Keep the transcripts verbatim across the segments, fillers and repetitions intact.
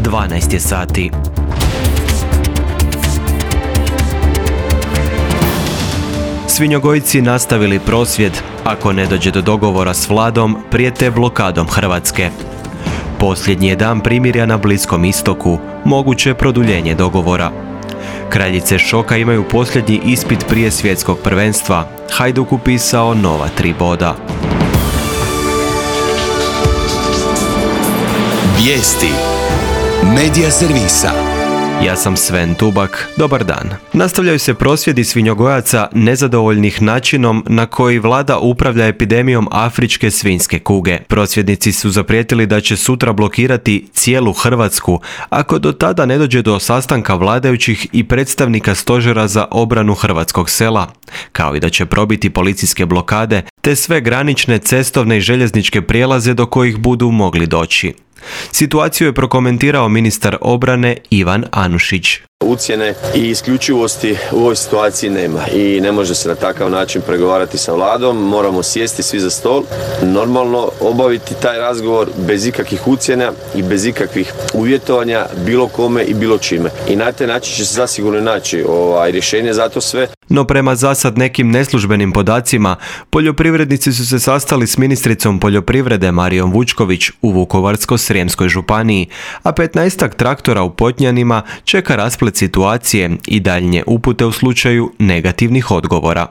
dvanaest je sati. Svinjogojci nastavili prosvjed. Ako ne dođe do dogovora s vladom, prijete blokadom Hrvatske. Posljednji je dan primirja na Bliskom istoku, moguće produljenje dogovora. Kraljice šoka imaju posljednji ispit prije svjetskog prvenstva. Hajduk upisao nova tri boda. Vijesti Medija servisa. Ja sam Sven Tubak, dobar dan. Nastavljaju se prosvjedi svinjogojaca nezadovoljnih načinom na koji vlada upravlja epidemijom afričke svinjske kuge. Prosvjednici su zaprijetili da će sutra blokirati cijelu Hrvatsku ako do tada ne dođe do sastanka vladajućih i predstavnika stožera za obranu hrvatskog sela, kao i da će probiti policijske blokade te sve granične, cestovne i željezničke prijelaze do kojih budu mogli doći. Situaciju je prokomentirao ministar obrane Ivan Anušić. Ucjene i isključivosti u ovoj situaciji nema i ne može se na takav način pregovarati sa vladom. Moramo sjesti svi za stol, normalno obaviti taj razgovor bez ikakvih ucjena i bez ikakvih uvjetovanja bilo kome i bilo čime. I na taj način će se zasigurno naći ovaj, rješenje za to sve. No prema zasad nekim neslužbenim podacima, poljoprivrednici su se sastali s ministricom poljoprivrede Marijom Vučković u Vukovarsko-srijemskoj županiji, a petnaestak traktora u Potnjanima čeka rasplet situacije i daljnje upute u slučaju negativnih odgovora.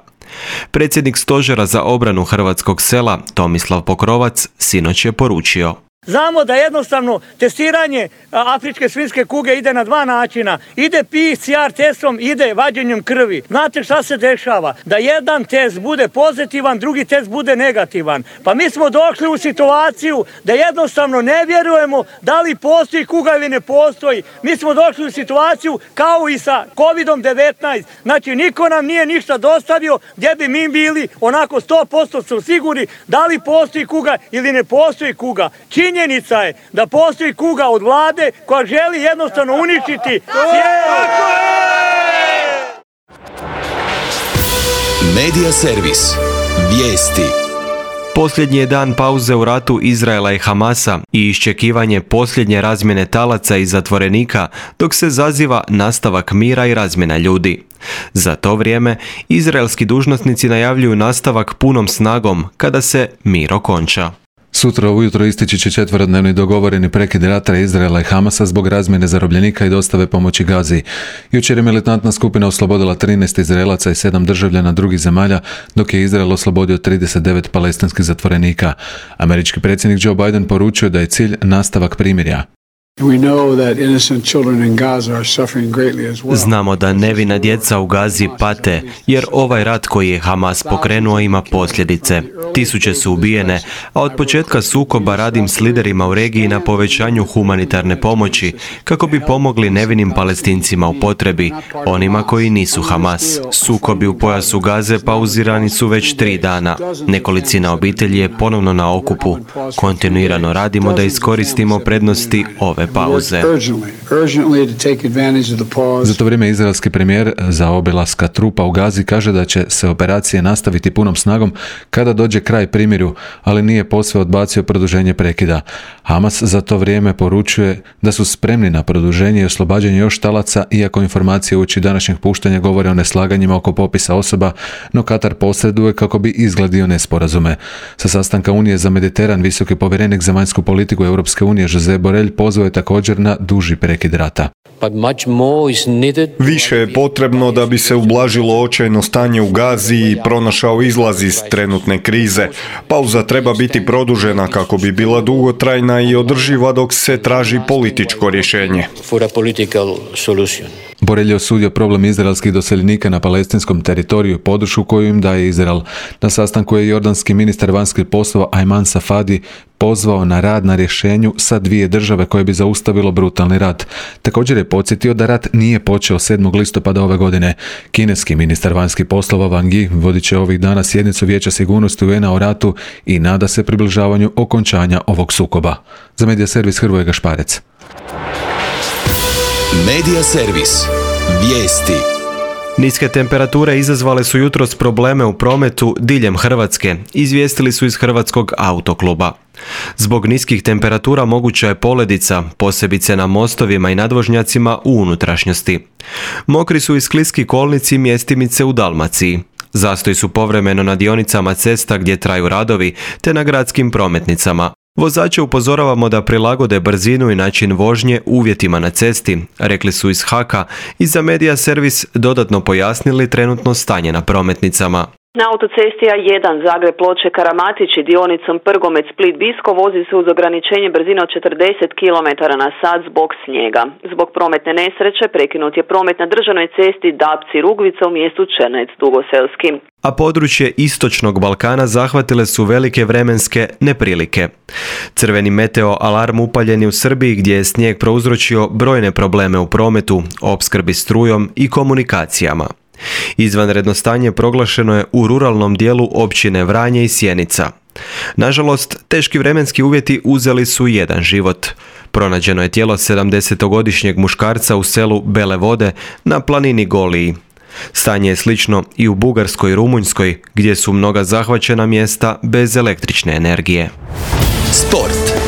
Predsjednik stožera za obranu hrvatskog sela Tomislav Pokrovac sinoć je poručio: Znamo da jednostavno testiranje afričke svinjske kuge ide na dva načina. Ide P C R testom, ide vađenjem krvi. Znate šta se dešava? Da jedan test bude pozitivan, drugi test bude negativan. Pa mi smo došli u situaciju da jednostavno ne vjerujemo da li postoji kuga ili ne postoji. Mi smo došli u situaciju kao i sa kovid devetnaest. Znači niko nam nije ništa dostavio gdje bi mi bili onako sto posto su sigurni da li postoji kuga ili ne postoji kuga. Činjenica je da postoji kuga od vlade koja želi jednostavno uništiti cijelu. Medija servis. Vijesti. Posljednji je dan pauze u ratu Izraela i Hamasa i iščekivanje posljednje razmjene talaca i zatvorenika dok se zaziva nastavak mira i razmjena ljudi. Za to vrijeme izraelski dužnosnici najavljuju nastavak punom snagom kada se mir okonča. Sutra ujutro istići će četverodnevni dogovoreni prekid rata Izraela i Hamasa zbog razmjene zarobljenika i dostave pomoći Gazi. Jučer je militantna skupina oslobodila trinaest Izraelaca i sedam državljana drugih zemalja, dok je Izrael oslobodio trideset devet palestinskih zatvorenika. Američki predsjednik Joe Biden poručio da je cilj nastavak primirja. Znamo da nevina djeca u Gazi pate, jer ovaj rat koji je Hamas pokrenuo ima posljedice. Tisuće su ubijene, a od početka sukoba radim s liderima u regiji na povećanju humanitarne pomoći, kako bi pomogli nevinim Palestincima u potrebi, onima koji nisu Hamas. Sukobi u pojasu Gaze pauzirani su već tri dana. Nekolicina obitelji je ponovno na okupu. Kontinuirano radimo da iskoristimo prednosti ove pauze. Za to vrijeme izraelski premijer za obilaska trupa u Gazi kaže da će se operacije nastaviti punom snagom kada dođe kraj primirju, ali nije posve odbacio produženje prekida. Hamas za to vrijeme poručuje da su spremni na produženje i oslobađanje još talaca, iako informacije uoči današnjeg puštanja govore o neslaganjima oko popisa osoba, no Katar posreduje kako bi izgladio nesporazume. Sa sastanka Unije za Mediteran visoki povjerenik za vanjsku politiku Europske unije Josep Borrell pozvao je također na duži prekid rata. Više je potrebno da bi se ublažilo očajno stanje u Gazi i pronašao izlaz iz trenutne krize. Pauza treba biti produžena kako bi bila dugotrajna i održiva dok se traži političko rješenje. Borrell je osudio problem izraelskih doseljenika na palestinskom teritoriju i podršku koju im daje Izrael. Na sastanku je jordanski ministar vanjskih poslova Ayman Safadi pozvao na rad na rješenju sa dvije države koje bi zaustavilo brutalni rat. Također je podsjetio da rat nije počeo sedmog listopada ove godine. Kineski ministar vanjskih poslova Wang Yi vodit će ovih dana sjednicu Vijeća sigurnosti U N A o ratu i nada se približavanju okončanja ovog sukoba. Za Medija servis Hrvoje Gašparec. Medija servis. Vijesti. Niske temperature izazvale su jutros probleme u prometu diljem Hrvatske, izvijestili su iz Hrvatskog autokluba. Zbog niskih temperatura moguća je poledica, posebice na mostovima i nadvožnjacima u unutrašnjosti. Mokri su i skliski kolnici i mjestimice u Dalmaciji. Zastoji su povremeno na dionicama cesta gdje traju radovi, te na gradskim prometnicama. Vozače upozoravamo da prilagode brzinu i način vožnje uvjetima na cesti, rekli su iz Haka i za Media Servis dodatno pojasnili trenutno stanje na prometnicama. Na autocesti A jedan Zagreb Ploče Karamatići dionicom Prgomet Split Bisko vozi se uz ograničenje brzine od četrdeset kilometara na sat zbog snijega. Zbog prometne nesreće prekinut je promet na državnoj cesti Dapci Rugvica u mjestu Černec Dugoselski. A područje istočnog Balkana zahvatile su velike vremenske neprilike. Crveni meteo alarm upaljen je u Srbiji gdje je snijeg prouzročio brojne probleme u prometu, opskrbi strujom i komunikacijama. Izvanredno stanje proglašeno je u ruralnom dijelu općine Vranje i Sjenica. Nažalost, teški vremenski uvjeti uzeli su jedan život. Pronađeno je tijelo sedamdesetogodišnjeg muškarca u selu Bele Vode na planini Goliji. Stanje je slično i u Bugarskoj i Rumunjskoj, gdje su mnoga zahvaćena mjesta bez električne energije. Sport.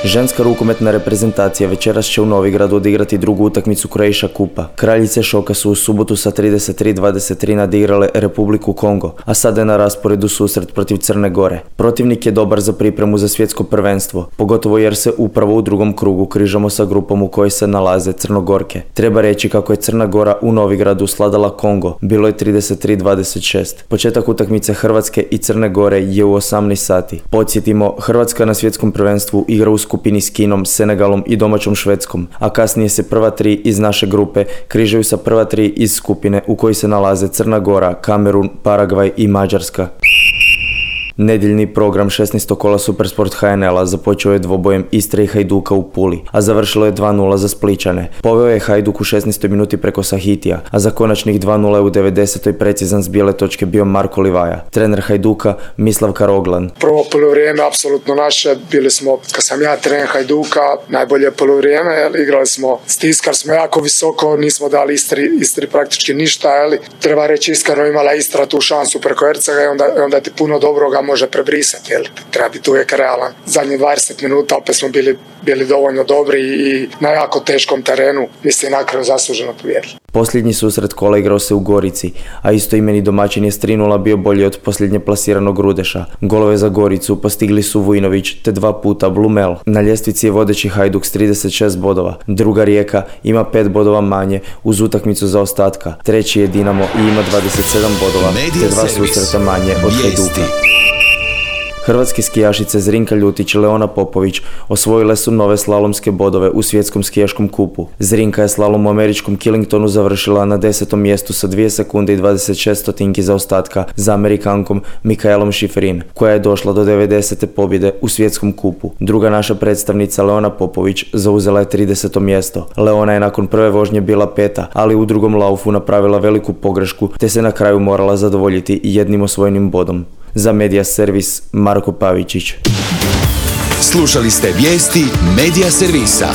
Ženska rukometna reprezentacija večeras će u Novigradu odigrati drugu utakmicu Croatia Kupa. Kraljice šoka su u subotu sa trideset tri dvadeset tri nadigrale Republiku Kongo, a sada je na rasporedu susret protiv Crne Gore. Protivnik je dobar za pripremu za svjetsko prvenstvo, pogotovo jer se upravo u drugom krugu križamo sa grupom u kojoj se nalaze Crnogorke. Treba reći kako je Crna Gora u Novigradu sladala Kongo, bilo je trideset tri dvadeset šest. Početak utakmice Hrvatske i Crne Gore je u osamnaest sati. Podsjetimo, Hrvatska na svjetskom prvenstvu igra u skupini s Kinom, Senegalom i domaćom Švedskom, a kasnije se prva tri iz naše grupe križaju sa prva tri iz skupine u kojoj se nalaze Crna Gora, Kamerun, Paragvaj i Mađarska. Nedjeljni program šesnaestog kola Supersport H N L-a započeo je dvobojem Istre i Hajduka u Puli, a završilo je dva nula za Splićane. Poveo je Hajduk u šesnaestoj minuti preko Sahitija, a za konačnih dva nula je u devedesetoj precizan s bijele točke bio Marko Livaja. Trener Hajduka Mislav Karoglan. Prvo polovrijeme apsolutno naše, bili smo, kad sam ja trener Hajduka, najbolje polovrijeme, igrali smo, stiskali smo jako visoko, nismo dali Istri, Istri praktički ništa, jeli. Treba reći iskreno, imala Istra tu šansu preko Ercega i onda, onda ti puno dobroga može prebrisati, jel? Treba biti uvijek realan. Zadnjih dvadeset minuta opet smo bili, bili dovoljno dobri i na jako teškom terenu, mislim, na kraju zasluženo pobijedili. Posljednji susret kola igrao se u Gorici, a istoimeni domaćin je s tri nula bio bolji od posljednje plasiranog Rudeša. Golove za Goricu postigli su Vujnović te dva puta Blumel. Na ljestvici je vodeći Hajduk s trideset šest bodova. Druga Rijeka ima pet bodova manje uz utakmicu za ostatka. Treći je Dinamo i ima dvadeset sedam bodova te dva susreta manje od Hajduka. Hrvatske skijašice Zrinka Ljutić i Leona Popović osvojile su nove slalomske bodove u svjetskom skijaškom kupu. Zrinka je slalom u američkom Killingtonu završila na desetom mjestu sa dvije sekunde i dvadeset šest stotinki zaostatka za Amerikankom Mikaelom Šiferin, koja je došla do devedesete pobjede u svjetskom kupu. Druga naša predstavnica Leona Popović zauzela je trideseto mjesto. Leona je nakon prve vožnje bila peta, ali u drugom laufu napravila veliku pogrešku te se na kraju morala zadovoljiti jednim osvojenim bodom. Za Media Servis Marko Pavičić. Slušali ste vijesti Media Servisa.